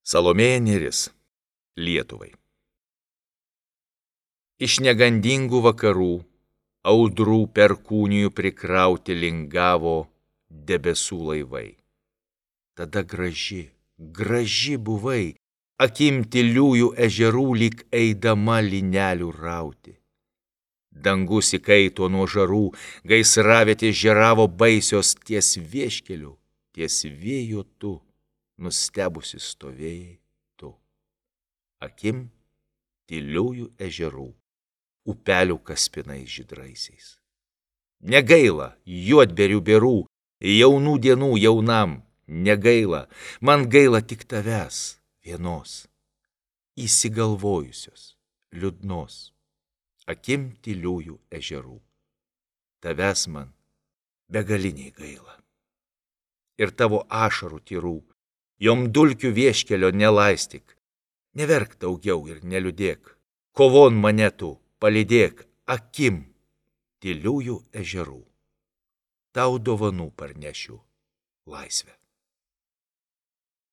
Salomėja Nėris Lietuvai. Iš negandingų vakarų, audrų perkūnijų prikrauti lingavo debesų laivai. Tada graži buvai, akim tyliųjų ežerų lyg eidama lynelių rauti. Dangus įkaito nuo žarų, gaisravietės žėravo baisios ties vieškeliu, ties vėjo tu, nustebusi stovėjai tu. Akim tyliųjų ežerų, upelių kaspinais žydraisiais. Negaila juodberių berų, jaunų dienų jaunam, negaila, man gaila tik tavęs vienos, įsigalvojusios, liūdnos, akim tyliųjų ežerų. Tavęs man begaliniai gaila. Ir tavo ašarų tyrų, jom dulkių vieškelio nelaistyk, neverk daugiau ir neliūdėk, kovon mane tu palydėk akim tyliųjų ežerų. Tau dovanų parnešiu laisvę.